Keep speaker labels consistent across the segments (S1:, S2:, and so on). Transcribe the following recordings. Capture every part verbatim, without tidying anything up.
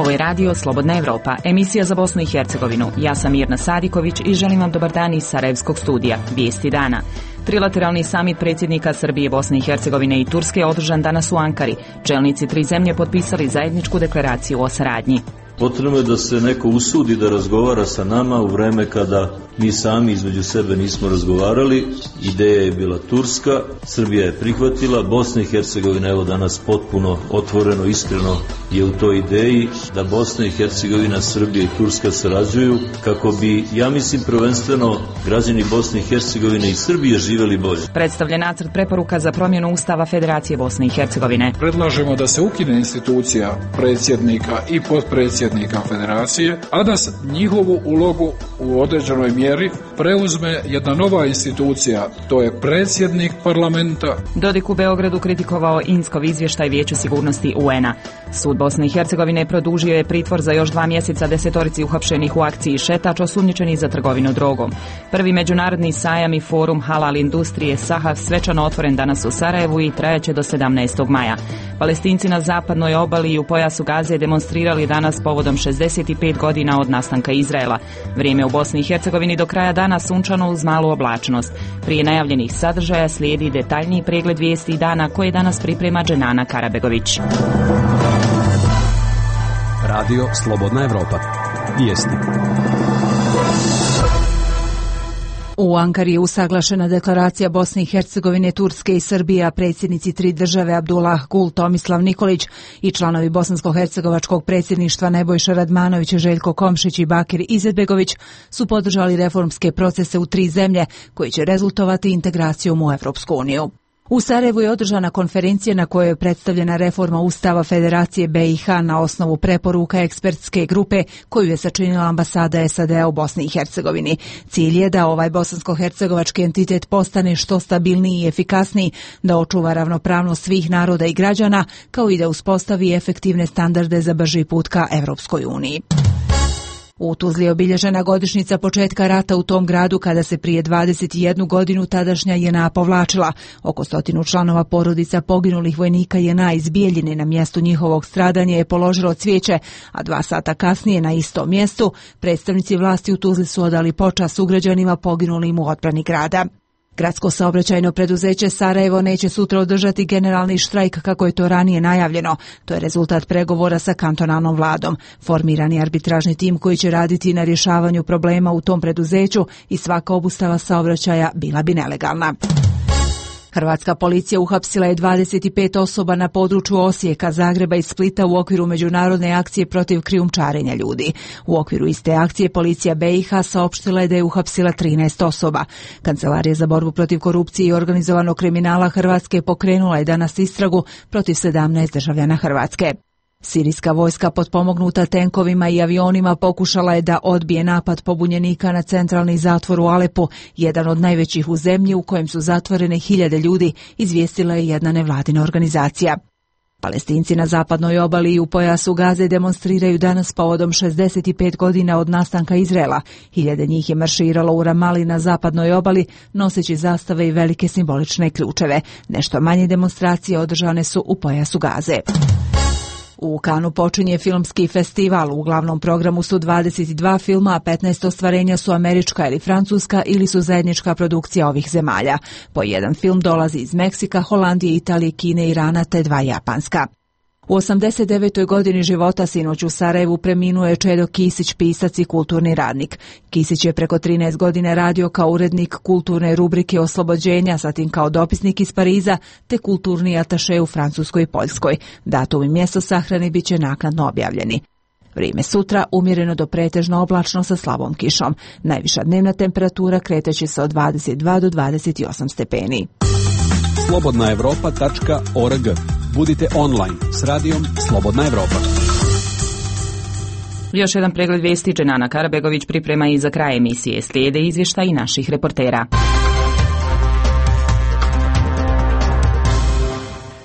S1: Ovo je radio Slobodna Evropa, emisija za Bosnu i Hercegovinu. Ja sam Mirna Sadiković i želim vam dobar dan iz Sarajevskog studija. Vijesti dana. Trilateralni samit predsjednika Srbije, Bosne i Hercegovine i Turske je održan danas u Ankari. Čelnici tri zemlje potpisali zajedničku deklaraciju o saradnji.
S2: Potrebno je da se neko usudi da razgovara sa nama u vreme kada mi sami između sebe nismo razgovarali. Ideja je bila turska, Srbija je prihvatila, Bosna i Hercegovina evo danas potpuno otvoreno, iskreno je u toj ideji da Bosna i Hercegovina, Srbija i Turska sarađuju kako bi, ja mislim, prvenstveno građani Bosne i Hercegovine i Srbije živjeli bolje.
S1: Predstavljen nacrt preporuka za promjenu Ustava Federacije Bosne i Hercegovine.
S3: Predlažemo da se ukine institucija predsjednika i potpredsjednika Federacije, a da njihovu ulogu u određenoj mjeri preuzme jedna nova institucija, to je predsjednik parlamenta.
S1: Dodik u Beogradu kritikovao Inskov izvještaj Vijeća sigurnosti U N-a. Sud Bosne i Hercegovine produžio je pritvor za još dva mjeseca desetorici uhapšenih u akciji Šetač osumnjičeni za trgovinu drogom. Prvi međunarodni sajam i forum halal industrije Sahav svečano otvoren danas u Sarajevu i trajaće do sedamnaestog maja. Palestinci na zapadnoj obali i u pojasu Gaze demonstrirali danas povodom šezdeset pet godina od nastanka Izraela. Vrijeme u Bosni i Hercegovini do kraja dana sunčano uz malu oblačnost. Prije najavljenih sadržaja slijedi detaljniji pregled vijesti dana koje danas priprema Dženana Karabegović.
S4: Radio Slobodna Evropa. Vijesti.
S5: U Ankari je usaglašena deklaracija Bosne i Hercegovine, Turske i Srbije, a predsjednici tri države Abdullah Gul, Tomislav Nikolić i članovi bosansko-hercegovačkog predsjedništva Nebojša Radmanović, Željko Komšić i Bakir Izetbegović su podržali reformske procese u tri zemlje koji će rezultovati integracijom u Evropsku uniju. U Sarajevu je održana konferencija na kojoj je predstavljena reforma Ustava Federacije B i H na osnovu preporuka ekspertske grupe koju je sačinila ambasada S A D-a u Bosni i Hercegovini. Cilj je da ovaj bosansko-hercegovački entitet postane što stabilniji i efikasniji, da očuva ravnopravnost svih naroda i građana, kao i da uspostavi efektivne standarde za brži put ka Evropskoj uniji. U Tuzli je obilježena godišnjica početka rata u tom gradu kada se prije dvadeset jednu godinu tadašnja J N A povlačila. Oko stotinu članova porodica poginulih vojnika J N A iz Bijeljine na mjestu njihovog stradanja je položilo cvijeće, a dva sata kasnije na istom mjestu predstavnici vlasti u Tuzli su odali počast sugrađanima poginulim u odbrani grada. Gradsko saobraćajno preduzeće Sarajevo neće sutra održati generalni štrajk kako je to ranije najavljeno. To je rezultat pregovora sa kantonalnom vladom. Formiran je arbitražni tim koji će raditi na rješavanju problema u tom preduzeću i svaka obustava saobraćaja bila bi nelegalna. Hrvatska policija uhapsila je dvadeset pet osoba na području Osijeka, Zagreba i Splita u okviru međunarodne akcije protiv krijumčarenja ljudi. U okviru iste akcije policija B i H saopštila je da je uhapsila trinaest osoba. Kancelarija za borbu protiv korupcije i organizovanog kriminala Hrvatske pokrenula je danas istragu protiv sedamnaest državljana Hrvatske. Sirijska vojska potpomognuta tenkovima i avionima pokušala je da odbije napad pobunjenika na centralni zatvor u Alepu, jedan od najvećih u zemlji u kojem su zatvorene hiljade ljudi, izvijestila je jedna nevladina organizacija. Palestinci na zapadnoj obali i u pojasu Gaze demonstriraju danas povodom šezdeset pet godina od nastanka Izraela. Hiljade njih je marširalo u Ramali na zapadnoj obali, noseći zastave i velike simbolične ključeve. Nešto manje demonstracije održane su u pojasu Gaze. U Kanu počinje filmski festival. U glavnom programu su dvadeset dva filma, a petnaest ostvarenja su američka ili francuska ili su zajednička produkcija ovih zemalja. Po jedan film dolazi iz Meksika, Holandije, Italije, Kine, Irana te dva japanska. U osamdeset devetoj godini života sinoć u Sarajevu preminuo je Čedo Kisić, pisac i kulturni radnik. Kisić je preko trinaest godina radio kao urednik kulturne rubrike Oslobođenja, zatim kao dopisnik iz Pariza, te kulturni ataše u Francuskoj i Poljskoj. Datum i mjesto sahrane bit će naknadno objavljeni. Vrijeme sutra umjereno do pretežno oblačno sa slabom kišom. Najviša dnevna temperatura kreće se od dvadeset dva do dvadeset osam stepeni.
S4: slobodna evropa tačka org. Budite online s radijom Slobodna Evropa.
S1: Još jedan pregled vijesti Dženana Karabegović priprema i za kraj emisije. Slijede izvještaji naših reportera.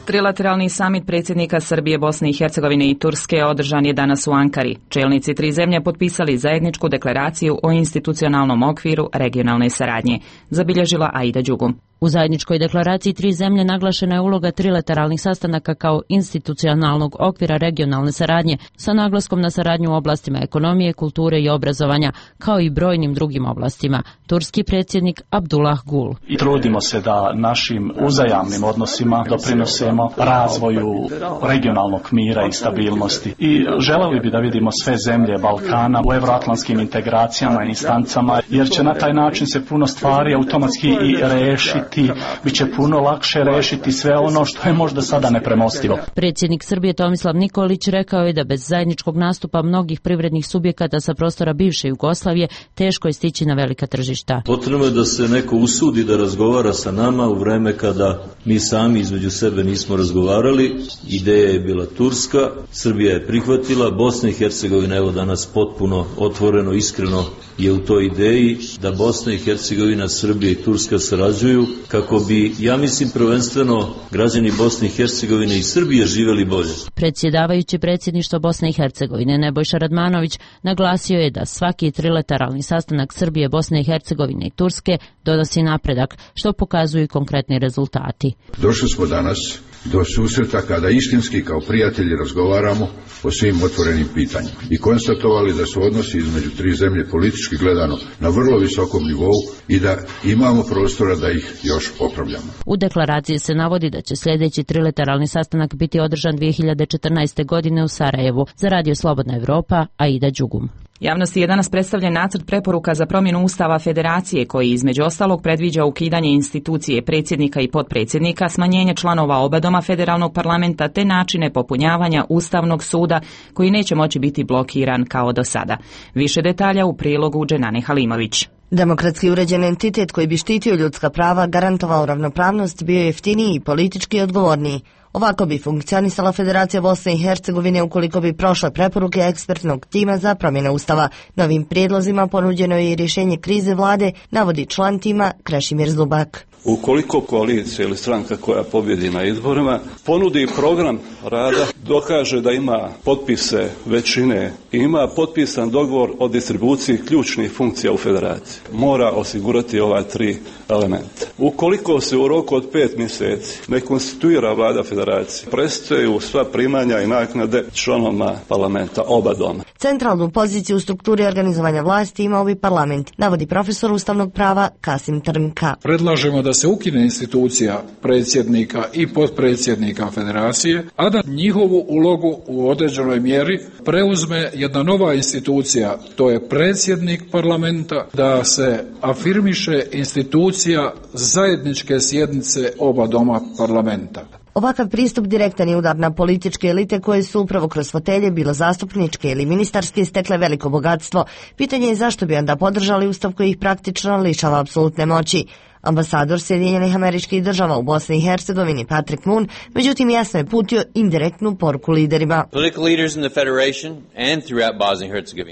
S1: Trilateralni samit predsjednika Srbije, Bosne i Hercegovine i Turske održan je danas u Ankari. Čelnici tri zemlje potpisali zajedničku deklaraciju o institucionalnom okviru regionalne saradnje, zabilježila Aida Đugum.
S6: U zajedničkoj deklaraciji tri zemlje naglašena je uloga trilateralnih sastanaka kao institucionalnog okvira regionalne saradnje sa naglaskom na saradnju u oblastima ekonomije, kulture i obrazovanja, kao i brojnim drugim oblastima. Turski predsjednik Abdullah Gul.
S7: I trudimo se da našim uzajamnim odnosima doprinosimo razvoju regionalnog mira i stabilnosti. I želeli bi da vidimo sve zemlje Balkana u evroatlantskim integracijama i instancama, jer će na taj način se puno stvari automatski i rešiti, bit će puno lakše rešiti sve ono što je možda sada nepremostivo.
S6: Predsjednik Srbije Tomislav Nikolić rekao je da bez zajedničkog nastupa mnogih privrednih subjekata sa prostora bivše Jugoslavije teško je stići na velika tržišta.
S2: Potrebno je da se neko usudi da razgovara sa nama u vreme kada mi sami između sebe nismo razgovarali. Ideja je bila turska, Srbija je prihvatila, Bosna i Hercegovina evo danas potpuno otvoreno, iskreno je u toj ideji da Bosna i Hercegovina, Srbija i Turska sarađuju kako bi, ja mislim, prvenstveno građani Bosne i Hercegovine i Srbije živjeli bolje.
S6: Predsjedavajući predsjedništvo Bosne i Hercegovine Nebojša Radmanović naglasio je da svaki trilateralni sastanak Srbije, Bosne i Hercegovine i Turske donosi napredak, što pokazuju i konkretni rezultati.
S8: Došli smo danas do susreta kada istinski kao prijatelji razgovaramo o svim otvorenim pitanjima i konstatovali da su odnosi između tri zemlje politički gledano na vrlo visokom nivou i da imamo prostora da ih još popravljamo.
S6: U deklaraciji se navodi da će sljedeći trilateralni sastanak biti održan dvije hiljade četrnaeste. godine u Sarajevu. Za Radio Slobodna Evropa, Aida Đugum.
S1: Javnosti je danas predstavljen nacrt preporuka za promjenu Ustava Federacije koji između ostalog predviđa ukidanje institucije predsjednika i potpredsjednika, smanjenje članova oba doma federalnog parlamenta te načine popunjavanja Ustavnog suda koji neće moći biti blokiran kao do sada. Više detalja u prilogu Dženane Halimović.
S9: Demokratski uređen entitet koji bi štitio ljudska prava, garantovao ravnopravnost, bio jeftiniji i politički odgovorniji. Ovako bi funkcionisala Federacija Bosne i Hercegovine ukoliko bi prošle preporuke ekspertnog tima za promjene Ustava. Novim prijedlozima ponuđeno je i rješenje krize vlade, navodi član tima Krešimir Zubak.
S10: Ukoliko koalicija ili stranka koja pobjedi na izborima ponudi program rada, dokaže da ima potpise većine i ima potpisan dogovor o distribuciji ključnih funkcija u federaciji, mora osigurati ova tri elementa. Ukoliko se u roku od pet mjeseci ne konstituira vlada federacije, prestaju sva primanja i naknade članovima parlamenta oba doma.
S9: Centralnu poziciju u strukturi organizovanja vlasti ima ovi parlament, navodi profesor ustavnog prava Kasim Trnka.
S3: Predlažemo da se ukine institucija predsjednika i potpredsjednika federacije, a da njihovu ulogu u određenoj mjeri preuzme jedna nova institucija, to je predsjednik parlamenta, da se afirmiše institucija zajedničke sjednice oba doma parlamenta.
S9: Ovakav pristup direktan je udar na političke elite koje su upravo kroz fotelje, bilo zastupničke ili ministarske, stekle veliko bogatstvo. Pitanje je zašto bi onda podržali ustav koji ih praktično lišava apsolutne moći. Ambasador Sjedinjenih Američkih Država u Bosni i Hercegovini Patrick Moon, međutim jasno je putio indirektnu poruku liderima.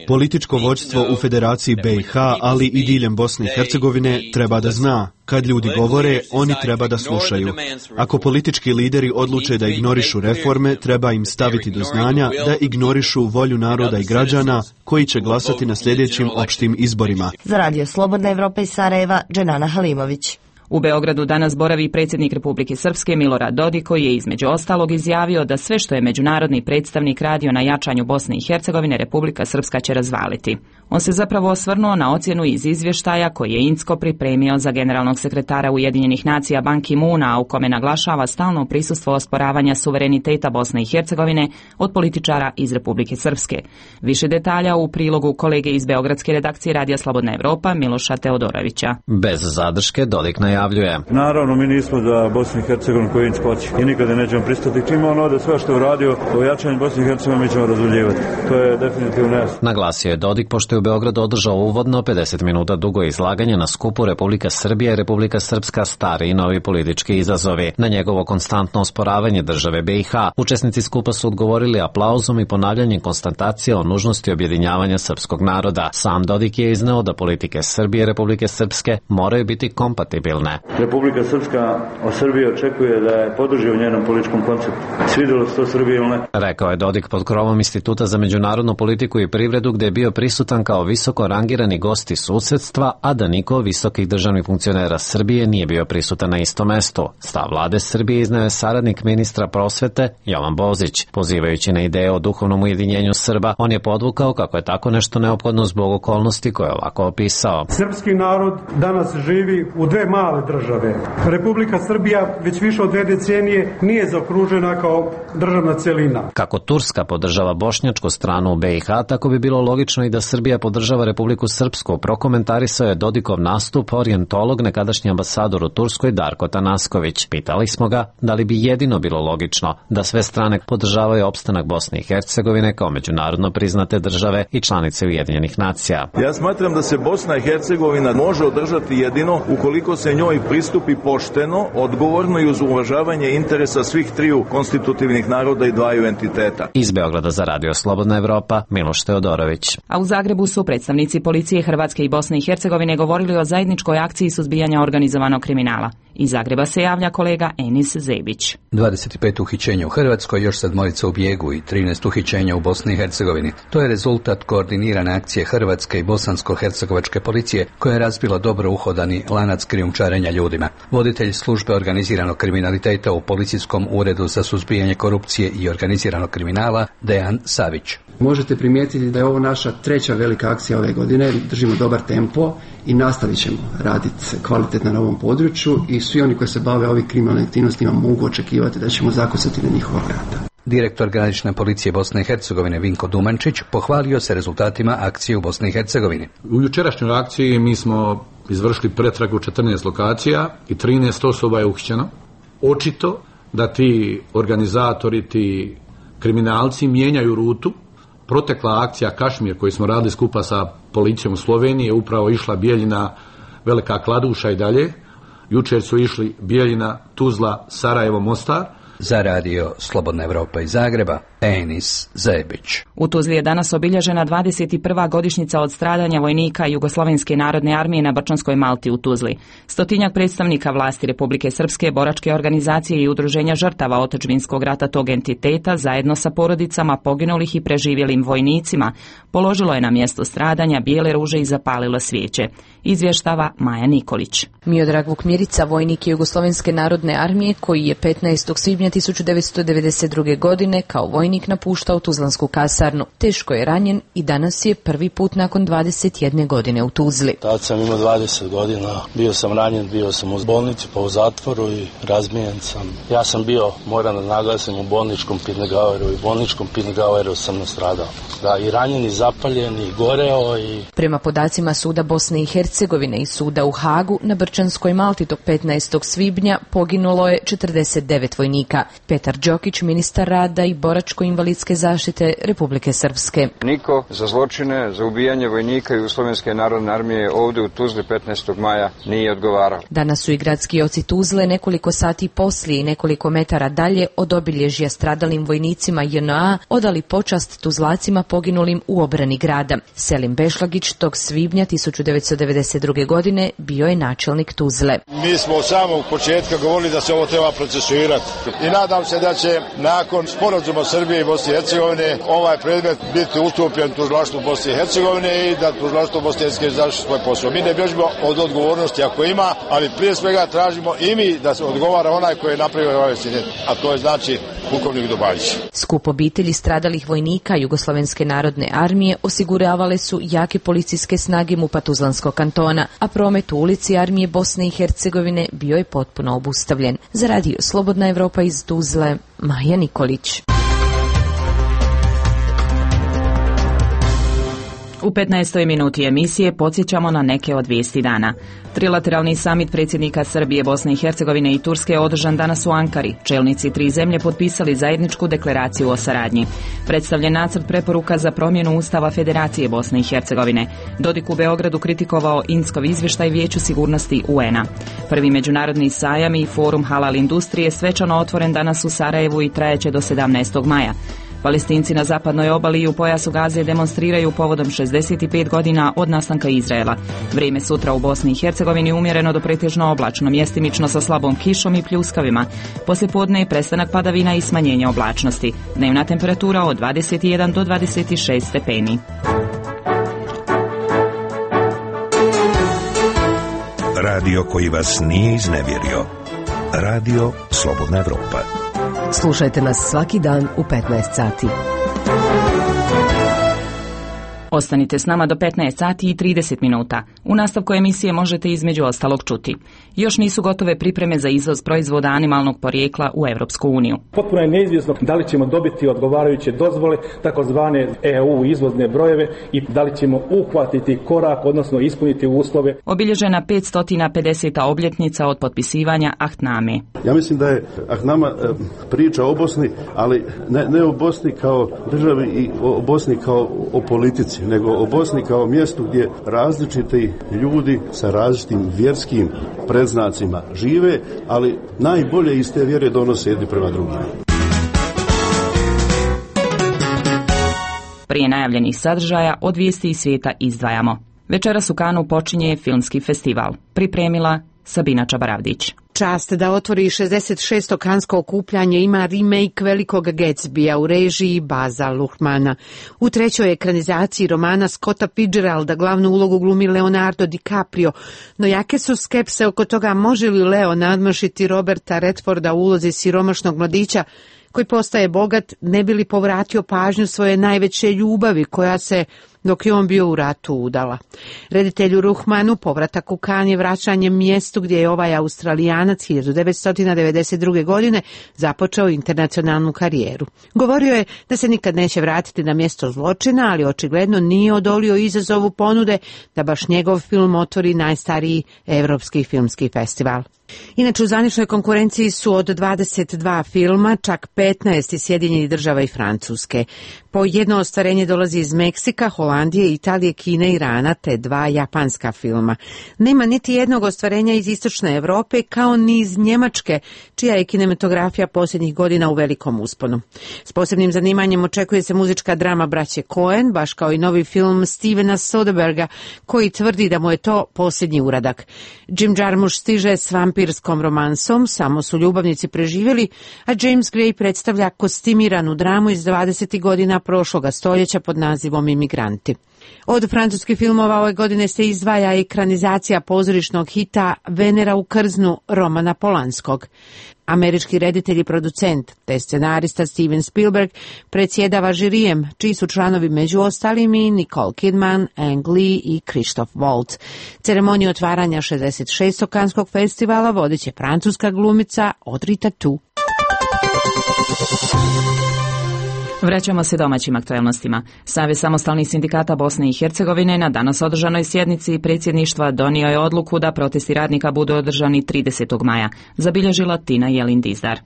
S11: Političko vođstvo u Federaciji B i H, ali i diljem Bosne i Hercegovine treba da zna. Kad ljudi govore, oni treba da slušaju. Ako politički lideri odluče da ignorišu reforme, treba im staviti do znanja da ignorišu volju naroda i građana koji će glasati na sljedećim opštim izborima.
S9: Za Radio Slobodna Evropa iz Sarajeva, Dženana Halimović.
S1: U Beogradu danas boravi predsjednik Republike Srpske Milorad Dodik koji je između ostalog izjavio da sve što je međunarodni predstavnik radio na jačanju Bosne i Hercegovine Republika Srpska će razvaliti. On se zapravo osvrnuo na ocjenu iz izvještaja koji je Incko pripremio za generalnog sekretara Ujedinjenih nacija Ban Ki-moona, a u kome naglašava stalno prisustvo osporavanja suvereniteta Bosne i Hercegovine od političara iz Republike Srpske. Više detalja u prilogu kolege iz beogradske redakcije Radija Slobodna Evropa Miloša Teodorovića.
S12: Bez zadrške Dodik najavljuje.
S13: Naravno, mi nismo za Bosnu i Hercegovinu koju Incko hoće i nikada nećemo pristati. Čim on ode sve što je uradio o jačanju Bosne i Hercegovine mi ćemo razvaljivati. To je definitivno jasno.
S12: Naglasio je Dodik pošto je u Beogradu održao uvodno pedeset minuta dugo izlaganje na skupu Republika Srbija i Republika Srpska stari i novi politički izazovi. Na njegovo konstantno osporavanje države B i H učesnici skupa su odgovorili aplauzom i ponavljanjem konstatacije o nužnosti objedinjavanja srpskog naroda. Sam Dodik je izneo da politike Srbije i Republike Srpske moraju biti kompatibilne stabilne.
S13: Republika Srpska od Srbije očekuje da je podrži u njenom političkom konceptu. Svidjelo se to Srbije ili ne?
S12: Rekao je Dodik pod krovom Instituta za međunarodnu politiku i privredu, gde je bio prisutan kao visoko rangirani gost iz susedstva, a da niko visokih državnih funkcionera Srbije nije bio prisutan na istom mestu. Stav vlade Srbije izneo je saradnik ministra prosvete Jovan Bozić. Pozivajući na ideje o duhovnom ujedinjenju Srba, on je podvukao kako je tako nešto neophodno zbog okolnosti koje je ovako opisao.
S14: Srpski narod danas živi u dve male države. Republika Srbija već više od dve decenije nije zaokružena kao državna celina.
S12: Kako Turska podržava bošnjačku stranu u be i ha, tako bi bilo logično i da Srbija podržava Republiku Srpsku. Prokomentarisao je Dodikov nastup orijentolog, nekadašnji ambasador u Turskoj Darko Tanasković. Pitali smo ga da li bi jedino bilo logično da sve strane podržavaju opstanak Bosne i Hercegovine kao međunarodno priznate države i članice Ujedinjenih nacija.
S15: Ja smatram da se Bosna i Hercegovina može održati jedino ukoliko se njoj pristupi pošteno, odgovorno i uz uvažavanje interesa svih triju konstitutivnih naroda i dvaju entiteta.
S12: Iz Beograda za Radio Slobodna Evropa, Miloš Teodorović.
S1: A u Zagrebu su predstavnici policije Hrvatske i Bosne i Hercegovine govorili o zajedničkoj akciji suzbijanja organizovanog kriminala. Iz Zagreba se javlja kolega Enis Zebić.
S16: dvadeset pet uhićenja u Hrvatskoj, još sedmorica u bijegu i trinaest uhićenja u Bosni i Hercegovini. To je rezultat koordinirane akcije Hrvatske i bosansko-hercegovačke policije koja je razbila dobro uhodani lanac krijumčarenja ljudima. Voditelj službe organiziranog kriminaliteta u Policijskom uredu za suzbijanje korupcije i organiziranog kriminala Dejan Savić.
S17: Možete primijetiti da je ovo naša treća velika akcija ove godine, držimo dobar tempo i nastavit ćemo raditi kvalitetno na ovom području i svi oni koji se bave ovih kriminalnim aktivnostima mogu očekivati da ćemo zakucati na njihova vrata.
S16: Direktor granične policije Bosne i Hercegovine Vinko Dumančić pohvalio se rezultatima akcije u Bosni i Hercegovini.
S3: U jučerašnjoj akciji mi smo izvršili pretragu četrnaest lokacija i trinaest osoba je uhićeno. Očito da ti organizatori, ti kriminalci mijenjaju rutu. Protekla akcija Kašmir koju smo radili skupa sa policijom u Sloveniji je upravo išla Bijeljina, Velika Kladuša i dalje. Jučer su išli Bijeljina, Tuzla, Sarajevo, Mostar.
S16: Za Radio Slobodna Evropa iz Zagreba, Enis Zebić.
S1: U Tuzli je danas obilježena dvadeset prva godišnjica od stradanja vojnika Jugoslovenske narodne armije na Brčanskoj Malti u Tuzli. Stotinjak predstavnika vlasti Republike Srpske, boračke organizacije i udruženja žrtava otadžbinskog rata tog entiteta zajedno sa porodicama poginulih i preživjelim vojnicima položilo je na mjesto stradanja bijele ruže i zapalilo svijeće. Izvještava Maja Nikolić.
S18: Miodrag Vukmirica, vojnik Jugoslovenske narodne armije koji je petnaestog svibnja tisuću devetsto devedeset druge. godine kao vojnik napuštao Tuzlansku kasarnu. Teško je ranjen i danas je prvi put nakon dvadeset jedne godine u Tuzli.
S19: Tad sam imao dvadeset godina, bio sam ranjen, bio sam u bolnici pa u zatvoru i razmijen sam. Ja sam bio, moram da naglasim, u bolničkom Pirnegaueru i bolničkom Pirnegaueru sam nastradao. Da, i ranjen i zapaljen i goreo i...
S18: Prema podacima Suda Bosne i Hercegovine i Suda u Hagu, na Brčanskoj Malti tog petnaestog svibnja poginulo je četrdeset devet vojnika. Petar Đokić, ministar rada i boračko-invalidske zaštite Republike Srpske.
S20: Niko za zločine, za ubijanje vojnika Jugoslovenske narodne armije ovdje u Tuzli petnaestog maja nije odgovarao.
S18: Danas su i gradski oci Tuzle nekoliko sati poslije i nekoliko metara dalje od obilježja stradalim vojnicima J N A odali počast Tuzlacima poginulim u obrani grada. Selim Bešlagić tog svibnja tisuću devetsto devedeset druge. godine bio je načelnik Tuzle.
S21: Mi smo od samog početka govorili da se ovo treba procesuirati i nadam se da će nakon sporazuma Srbije i Bosne i Hercegovine ovaj predmet biti ustupljen tužilaštvu Bosne i Hercegovine i da tužilaštvo Bosne i Hercegovine završi svoj posao. Mi ne bježimo od odgovornosti ako ima, ali prije svega tražimo i mi da se odgovara onaj koji je napravio ovaj incident, a to je znači pukovnik Dubajić.
S18: Skup obitelji stradalih vojnika Jugoslovenske narodne armije osiguravale su jake policijske snage MUP-a Tuzlanskog kantona, a promet u ulici armije Bosne i Hercegovine bio je potpuno obustavljen. Za Radio Slobodna Evropa iz Tuzle, Maja Nikolić.
S1: U petnaestoj minuti emisije podsjećamo na neke od vijesti dana. Trilateralni samit predsjednika Srbije, Bosne i Hercegovine i Turske održan danas u Ankari. Čelnici tri zemlje potpisali zajedničku deklaraciju o saradnji. Predstavljen nacrt preporuka za promjenu Ustava Federacije Bosne i Hercegovine. Dodik u Beogradu kritikovao Inskov izvještaj Vijeću sigurnosti U N A. Prvi međunarodni sajam i forum halal industrije svečano otvoren danas u Sarajevu i trajeće do sedamnaestog maja. Palestinci na zapadnoj obali i u pojasu Gaze demonstriraju povodom šezdeset pet godina od nastanka Izraela. Vrijeme sutra u Bosni i Hercegovini umjereno do pretežno oblačno, mjestimično sa slabom kišom i pljuskavima. Poslijepodne je prestanak padavina i smanjenje oblačnosti. Dnevna temperatura od dvadeset jedan do dvadeset šest stepeni.
S5: Radio koji vas nije iznevjerio. Radio Slobodna Evropa.
S22: Slušajte nas svaki dan u petnaest sati.
S1: Ostanite s nama do petnaest sati i trideset minuta. U nastavku emisije možete između ostalog čuti. Još nisu gotove pripreme za izvoz proizvoda animalnog porijekla u Europsku uniju.
S23: Potpuno je neizvjesno da li ćemo dobiti odgovarajuće dozvole, takozvane E U izvozne brojeve i da li ćemo uhvatiti korak, odnosno ispuniti uslove.
S1: Obilježena petsto pedeseta obljetnica od potpisivanja Ahtname.
S24: Ja mislim da je Ahtnama priča o Bosni, ali ne, ne o Bosni kao državi i o Bosni kao o politici, nego o Bosni kao mjestu gdje različiti ljudi sa različitim vjerskim predznacima žive, ali najbolje iz te vjere donose jedni prema drugima.
S1: Prije najavljenih sadržaja od vijesti iz svijeta izdvajamo. Večeras u Kanu počinje filmski festival. Pripremila Sabina Čabaravdić.
S25: Čast da otvori šezdeset šesto kansko okupljanje ima remake Velikog Gatsbya u režiji Baza Luhrmana. U trećoj ekranizaciji romana Scotta Fitzgeralda glavnu ulogu glumi Leonardo DiCaprio, no jake su skepse oko toga može li Leo nadmašiti Roberta Redforda u ulozi siromašnog mladića koji postaje bogat ne bi li povratio pažnju svoje najveće ljubavi koja se dok je on bio u ratu udala. Reditelju Ruhmanu povratak u Kan je vraćanje mjestu gdje je ovaj Australijanac hiljadu devetsto devedeset druge. godine započeo internacionalnu karijeru. Govorio je da se nikad neće vratiti na mjesto zločina, ali očigledno nije odolio izazovu ponude da baš njegov film otvori najstariji evropski filmski festival. Inače, u zvaničnoj konkurenciji su od dvadeset dva filma, čak petnaest iz Sjedinjenih Država i Francuske. Po jedno ostvarenje dolazi iz Meksika, Holandije, Italije, Kine, Irana te dva japanska filma. Nema niti jednog ostvarenja iz Istočne Europe kao ni iz Njemačke, čija je kinematografija posljednjih godina u velikom usponu. S posebnim zanimanjem očekuje se muzička drama braće Coen, baš kao i novi film Stevena Soderberga, koji tvrdi da mu je to posljednji uradak. Jim Jarmusch stiže s vampirskom romansom, samo su ljubavnici preživjeli, a James Gray predstavlja kostimiranu dramu iz dvadesetih godina prošloga stoljeća pod nazivom Imigranti. Od francuskih filmova ove godine se izdvaja ekranizacija pozorišnog hita Venera u krznu Romana Polanskog. Američki reditelj i producent, te scenarista Steven Spielberg, predsjedava žirijem, čiji su članovi među ostalim i Nicole Kidman, Ang Lee i Christoph Waltz. Ceremoniju otvaranja šezdeset šestog kanskog festivala vodit će francuska glumica Audrey Tautou.
S1: Vraćamo se domaćim aktualnostima. Savez samostalnih sindikata Bosne i Hercegovine na danas održanoj sjednici predsjedništva donio je odluku da protesti radnika budu održani tridesetog maja, zabilježila Tina Jelin Dizdar.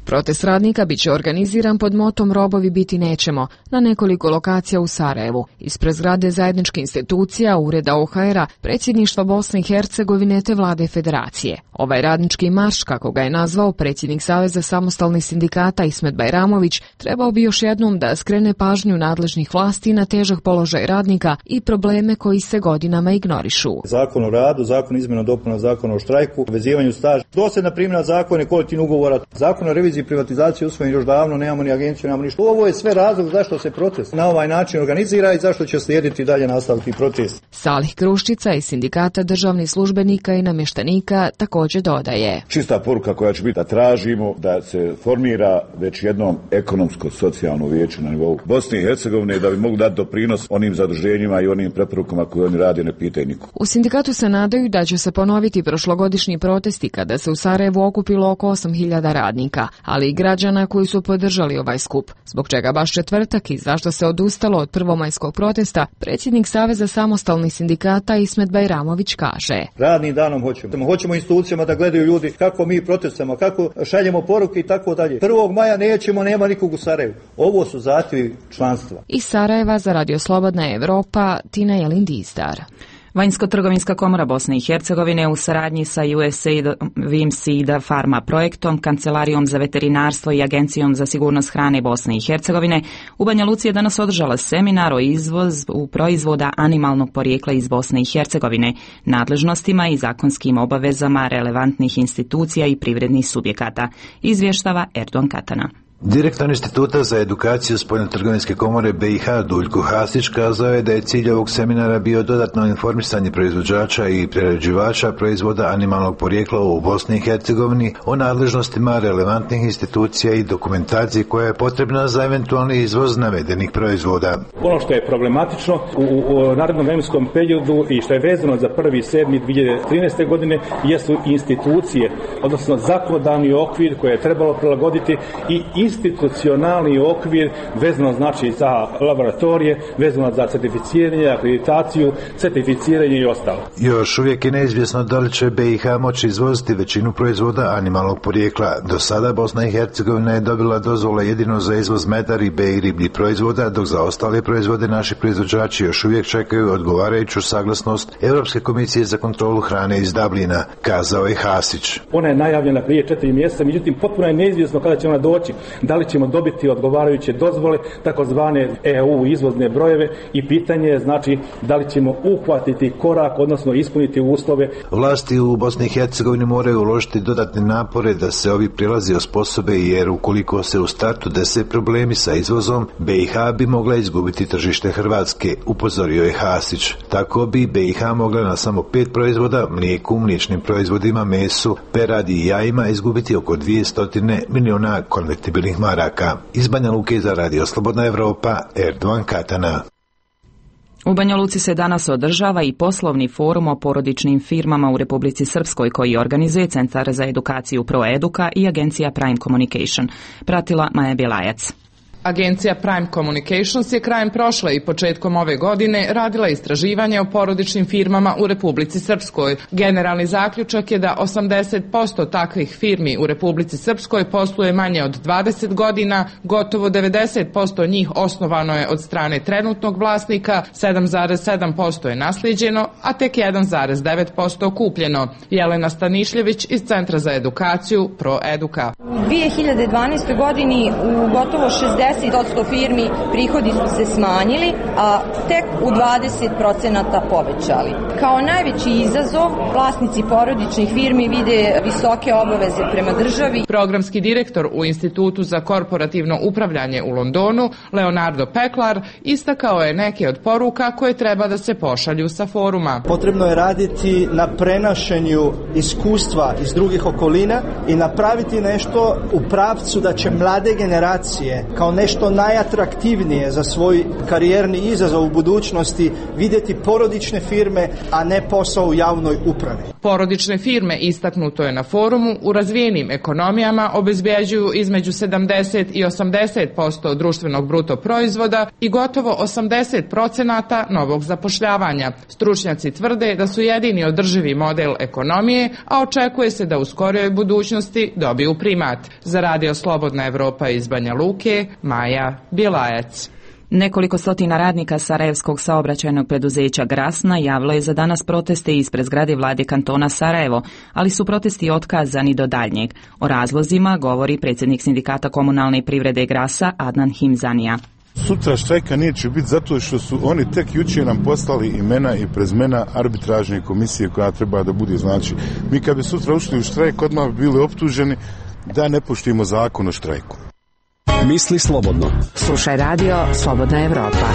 S26: Protest radnika bit će organiziran pod motom Robovi biti nećemo na nekoliko lokacija u Sarajevu, ispred zgrade zajedničkih institucija, ureda O H R-a, predsjedništva Bosne i Hercegovine te vlade federacije. Ovaj radnički marš, kako ga je nazvao predsjednik Saveza samostalnih sindikata Ismet Bajramović, trebao bi još jednom da skrene pažnju nadležnih vlasti na težak položaj radnika i probleme koji se godinama ignorišu.
S27: Zakon o radu, zakon o izmjenama i dopunama zakona o štrajku, vezivanju staža, dosljedna primjena zakona i kolektivnih ugovora, zakon o reviziji i privatizaciji usvojen još davno, nemamo ni agenciju, nemamo ništa. Ovo je sve razlog zašto se protest na ovaj način organizira i zašto će slijediti dalje nastaviti protest.
S26: Salih Kruščica iz sindikata državnih službenika i namještenika također dodaje.
S28: Čista poruka koja će biti da tražimo da se formira već jednom ekonomsko-socijalno vijeće na nivou Bosne i Hercegovine da bi mogli dati doprinos onim zaduženjima i onim preporukama koje oni rade, ne pitaju niko.
S26: U sindikatu se nadaju da će se ponoviti prošlogodišnji protesti kada se u Sarajevu okupilo oko osam hiljada radnika, ali i građana koji su podržali ovaj skup. Zbog čega baš četvrtak i zašto se odustalo od prvomajskog protesta, predsjednik Saveza samostalnih sindikata Ismet Bajramović kaže.
S27: Radnim danom hoćemo. Hoćemo institucijama da gledaju ljudi kako mi protestujemo, kako šaljemo poruke i tako dalje. prvog maja nećemo, nema nikog u Sarajevu. Ovo su zahtjevi članstva.
S26: Iz Sarajeva za Radio Slobodna Evropa, Tina Jelin Dizdar.
S1: Vanjsko-trgovinska komora Bosne i Hercegovine u saradnji sa U S A I D, Vimsida Pharma projektom, Kancelarijom za veterinarstvo i Agencijom za sigurnost hrane Bosne i Hercegovine u Banja Luci je danas održala seminar o izvozu proizvoda animalnog porijekla iz Bosne i Hercegovine, nadležnostima i zakonskim obavezama relevantnih institucija i privrednih subjekata, izvještava Erdogan Katana.
S2: Direktor Instituta za edukaciju Spoljnotrgovinske komore B i H Duljko Hasić kazao je da je cilj ovog seminara bio dodatno informisanje proizvođača i prerađivača proizvoda animalnog porijekla u Bosni i Hercegovini o nadležnostima relevantnih institucija i dokumentaciji koja je potrebna za eventualni izvoz navedenih proizvoda.
S23: Ono što je problematično u, u narednom vremenskom periodu i što je vezano za prvi sedmi dvije hiljade trinaeste. godine jesu institucije, odnosno zakonodavni okvir koje je trebalo prilagoditi i institucionalni okvir vezano znači za laboratorije, vezano za certificiranje, akreditaciju, certificiranje i ostalo.
S2: Još uvijek je neizvjesno da li će B i H moći izvoziti većinu proizvoda animalnog porijekla. Do sada Bosna i Hercegovina je dobila dozvole jedino za izvoz meda, ribe i ribljih proizvoda, dok za ostale proizvode naši proizvođači još uvijek čekaju odgovarajuću saglasnost Europske komisije za kontrolu hrane iz Dublina, kazao je Hasić.
S23: Ona je najavljena prije četiri mjeseca, međutim potpuno je neizvjesno kada će ona doći. Da li ćemo dobiti odgovarajuće dozvole, takozvane E U izvozne brojeve i pitanje je znači da li ćemo uhvatiti korak, odnosno ispuniti uslove.
S2: Vlasti u Bosni i Hercegovini moraju uložiti dodatne napore da se ovi prilazi osposobe, jer ukoliko se u startu dese problemi sa izvozom, B i H bi mogla izgubiti tržište Hrvatske, upozorio je Hasić. Tako bi B i H mogla na samo pet proizvoda, mlijeku, mliječnim proizvodima, mesu, peradi i jajima izgubiti oko dvjesto milijuna konvertibilnih maraka. Iz Banja Luke za Radio Slobodna Evropa, Erdogan Katana.
S1: U Banja Luci se danas održava i poslovni forum o porodičnim firmama u Republici Srpskoj koji organizuje Centar za edukaciju ProEduka i agencija Prime Communication. Pratila Maja Bjelajac.
S4: Agencija Prime Communications je krajem prošle i početkom ove godine radila istraživanje o porodičnim firmama u Republici Srpskoj. Generalni zaključak je da osamdeset posto takvih firmi u Republici Srpskoj posluje manje od dvadeset godina, gotovo devedeset posto njih osnovano je od strane trenutnog vlasnika, sedam zarez sedam posto je naslijeđeno, a tek jedan zarez devet posto kupljeno. Jelena Stanišljević iz Centra za edukaciju ProEduka.
S6: U dvije hiljade dvanaestoj. godini u gotovo šezdeset posto firmi prihodi su se smanjili, a tek u dvadeset procenata povećali. Kao najveći izazov vlasnici porodičnih firmi vide visoke obaveze prema državi.
S4: Programski direktor u Institutu za korporativno upravljanje u Londonu, Leonardo Peklar, istakao je neke od poruka koje treba da se pošalju sa foruma.
S7: Potrebno je raditi na prenošenju iskustva iz drugih okolina i napraviti nešto u pravcu da će mlade generacije kao nešto najatraktivnije za svoj karijerni izazov u budućnosti vidjeti porodične firme, a ne posao u javnoj upravi.
S4: Porodične firme, istaknuto je na forumu, u razvijenim ekonomijama obezbeđuju između sedamdeset i osamdeset posto društvenog bruto proizvoda i gotovo osamdeset procenata novog zapošljavanja. Stručnjaci tvrde da su jedini održivi model ekonomije, a očekuje se da u skorijoj budućnosti dobiju primat. Za Radio Slobodna Evropa iz Banja Luke, Maja Bjelajac.
S1: Nekoliko stotina radnika Sarajevskog saobraćajnog preduzeća Grasna javilo je za danas proteste ispred zgrade vlade kantona Sarajevo, ali su protesti otkazani do daljnjeg. O razlozima govori predsjednik sindikata komunalne privrede Grasa Adnan Himzanija.
S8: Sutra štrajka neće biti zato što su oni tek jučer nam poslali imena i prezmena arbitražne komisije koja treba da bude. Znači, mi kad bi sutra ušli u štrajk, odmah bi bili optuženi da ne poštujemo zakon o štrajku.
S22: Misli slobodno. Slušaj Radio Slobodna Evropa.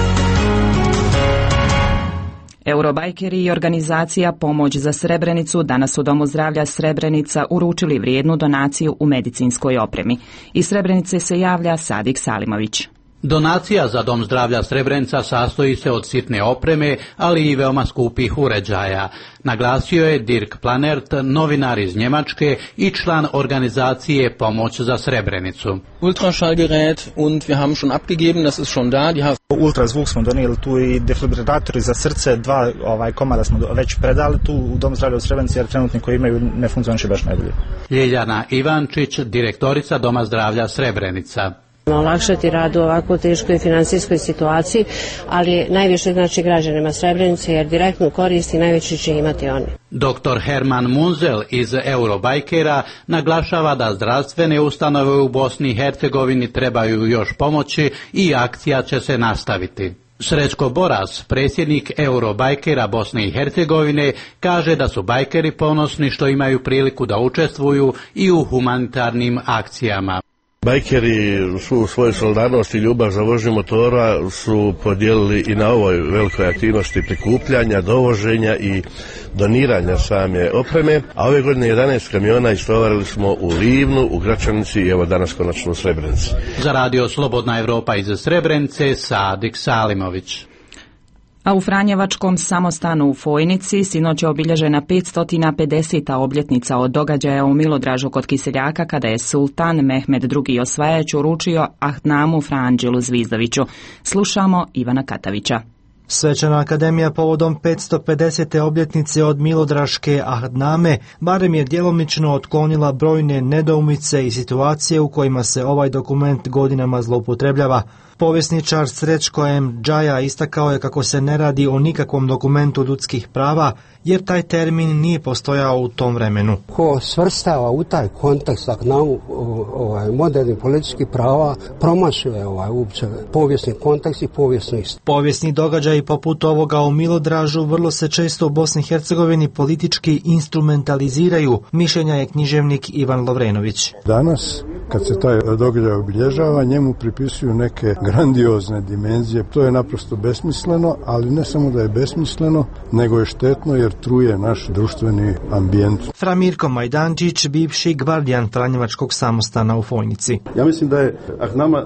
S1: Eurobajkeri i organizacija Pomoć za Srebrenicu danas u Domu zdravlja Srebrenica uručili vrijednu donaciju u medicinskoj opremi. Iz Srebrenice se javlja Sadik Salimović.
S9: Donacija za Dom zdravlja Srebrenica sastoji se od sitne opreme, ali i veoma skupih uređaja. Naglasio je Dirk Planert, novinar iz Njemačke i član organizacije Pomoć za Srebrenicu.
S10: Ultraschallgerät und wir haben schon abgegeben, das ist schon da. Die
S11: Ultrazvuk smo donijeli tu i defibrilatori za srce, dva ovaj komada smo već predali tu u Dom zdravlja u Srebrenici, jer trenutni koji imaju ne funkcioniše baš najbolje.
S9: Ljiljana Ivančić, direktorica Doma zdravlja Srebrenica.
S3: olakšati rad u ovako teškoj finansijskoj situaciji, ali najviše znači građanima Srebrenice, jer direktnu korist i najveći će imati oni.
S9: Doktor Herman Munzel iz Eurobajkera naglašava da zdravstvene ustanove u Bosni i Hercegovini trebaju još pomoći i akcija će se nastaviti. Srećko Boras, predsjednik Eurobajkera Bosne i Hercegovine, kaže da su bajkeri ponosni što imaju priliku da učestvuju i u humanitarnim akcijama.
S12: Bajkeri su svoju solidarnost i ljubav za vožnju motora su podijelili i na ovoj velikoj aktivnosti prikupljanja, dovoženja i doniranja same opreme, a ove godine jedanaest kamiona istovarili smo u Livnu, u Gračanici i evo danas konačno u Srebrenici.
S9: Za radio Slobodna Evropa iz Srebrenice, Sadik Salimović.
S1: A u Franjevačkom samostanu u Fojnici sinoć je obilježena petsto pedeseta obljetnica od događaja u Milodražu kod Kiseljaka kada je sultan Mehmed drugi. Osvajač uručio Ahnamu Franđelu Zvizdoviću. Slušamo Ivana Katavića.
S13: Svečana akademija povodom petsto pedesete obljetnice od Milodraške Ahname barem je djelomično otklonila brojne nedoumice i situacije u kojima se ovaj dokument godinama zloupotrebljava. Povjesničar Srećko M. Džaja istakao je kako se ne radi o nikakvom dokumentu ljudskih prava, jer taj termin nije postojao u tom vremenu.
S14: Ko svrstava u taj kontekst Ahnamu ovaj, modernih političkih prava, promašuje ovaj, uopće povijesni kontekst i povijesnu istinu.
S13: Povijesni događaji poput ovoga u Milodražu vrlo se često u Bosni i Hercegovini politički instrumentaliziraju, mišljenja je književnik Ivan Lovrenović.
S15: Danas, kad se taj događaj obilježava, njemu pripisuju neke grandiozne dimenzije. To je naprosto besmisleno, ali ne samo da je besmisleno, nego je štetno jer truje naš društveni ambijent.
S13: Fra Mirko Majdančić, bivši gvardijan Franjevačkog samostana u Fojnici.
S24: Ja mislim da je Ahnama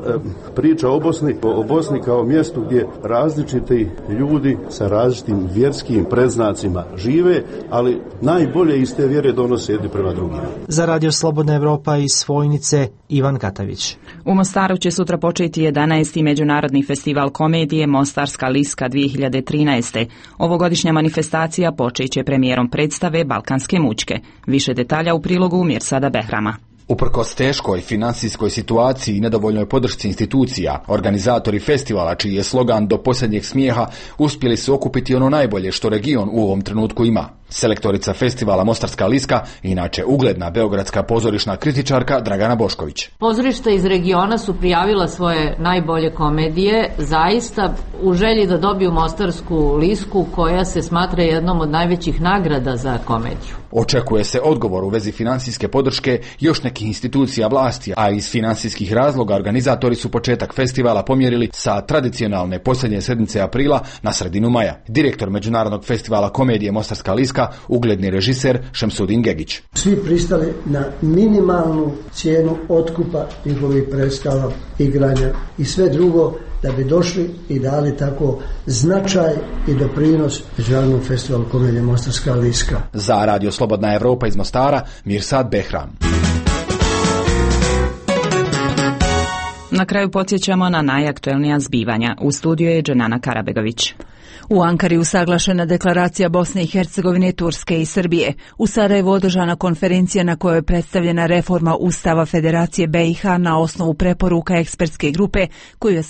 S24: priča o Bosni, o Bosni kao mjestu gdje različiti ljudi sa različitim vjerskim predznacima žive, ali najbolje iz te vjere donose jedni prema drugima.
S13: Za radio Slobodna Evropa iz Fojnice, Ivan Katavić.
S1: U Mostaru će sutra početi jedanaesti međunarodni festival komedije Mostarska liska dvije hiljade trinaeste. Ovogodišnja manifestacija počet će premijerom predstave Balkanske mučke. Više detalja u prilogu Mirsada Behrama.
S16: Uprkos teškoj financijskoj situaciji i nedovoljnoj podršci institucija, organizatori festivala, čiji je slogan do posljednjeg smijeha, uspjeli su okupiti ono najbolje što region u ovom trenutku ima. Selektorica festivala Mostarska liska, inače ugledna beogradska pozorišna kritičarka Dragana Bošković.
S17: Pozorišta iz regiona su prijavila svoje najbolje komedije, zaista u želji da dobiju Mostarsku lisku, koja se smatra jednom od najvećih nagrada za komediju.
S16: Očekuje se odgovor u vezi financijske podrške još nekih institucija vlasti, a iz financijskih razloga organizatori su početak festivala pomjerili sa tradicionalne posljednje sedmice aprila na sredinu maja. Direktor Međunarodnog festivala komedije Mostarska liska, ugledni režiser Šemsudin Gegić.
S19: Svi pristali na minimalnu cijenu otkupa njihovih predstava, igranja i sve drugo da bi došli i dali tako značaj i doprinos Međunarodnom festivalu komedije Mostarska liska.
S16: Za radio Slobodna Evropa iz Mostara, Mirsad Behram.
S1: Na kraju podsjećamo na najaktuelnija zbivanja. U studiju je Dženana Karabegović.
S29: U Ankari usaglašena deklaracija Bosne i Hercegovine, Turske i Srbije. U Sarajevu održana konferencija na kojoj je predstavljena reforma Ustava Federacije B i H na osnovu preporuka ekspertske grupe koju je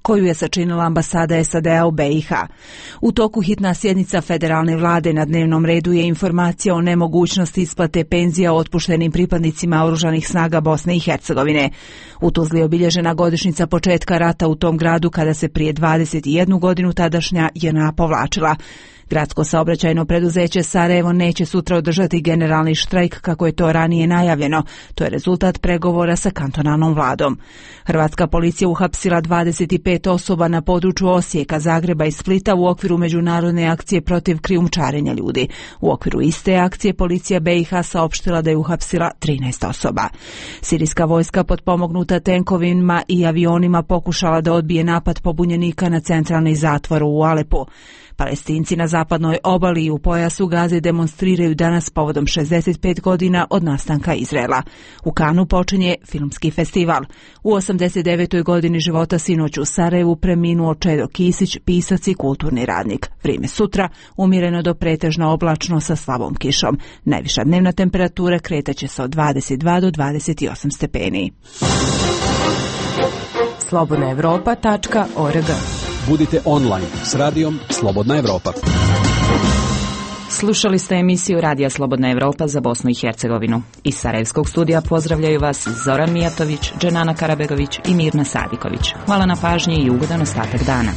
S29: koju je sačinila ambasada S A D-a u B i H. U toku hitna sjednica federalne vlade, na dnevnom redu je informacija o nemogućnosti isplate penzija otpuštenim pripadnicima oružanih snaga Bosne i Hercegovine. U Tuzli je obilježena godišnjica početka rata u tom gradu kada se prije dvadeset jednu godinu tadašnja J N A povlačila. Gradsko saobraćajno preduzeće Sarajevo neće sutra održati generalni štrajk kako je to ranije najavljeno. To je rezultat pregovora sa kantonalnom vladom. Hrvatska policija uhapsila dvadeset pet osoba na području Osijeka, Zagreba i Splita u okviru međunarodne akcije protiv krijumčarenja ljudi. U okviru iste akcije policija B i H saopštila da je uhapsila trinaest osoba. Sirijska vojska potpomognuta tenkovima i avionima pokušala da odbije napad pobunjenika na centralni zatvor u Alepu. Palestinci na zapadnoj obali i u pojasu Gaze demonstriraju danas povodom šezdeset pet godina od nastanka Izraela. U Kanu počinje filmski festival. U osamdeset devetoj godini života sinoć u Sarajevu preminuo Čedo Kisić, pisac i kulturni radnik. Vrijeme sutra umjereno do pretežno oblačno sa slabom kišom. Najviša dnevna temperatura kretaće se od dvadeset dva do dvadeset osam stepeni.
S5: slobodna evropa tačka org.
S18: Budite online s radijom Slobodna Evropa.
S1: Slušali ste emisiju Radija Slobodna Evropa za Bosnu i Hercegovinu. Iz Sarajevskog studija pozdravljaju vas Zoran Mijatović, Dženana Karabegović i Mirna Sadiković. Hvala na pažnji i ugodan ostatak dana.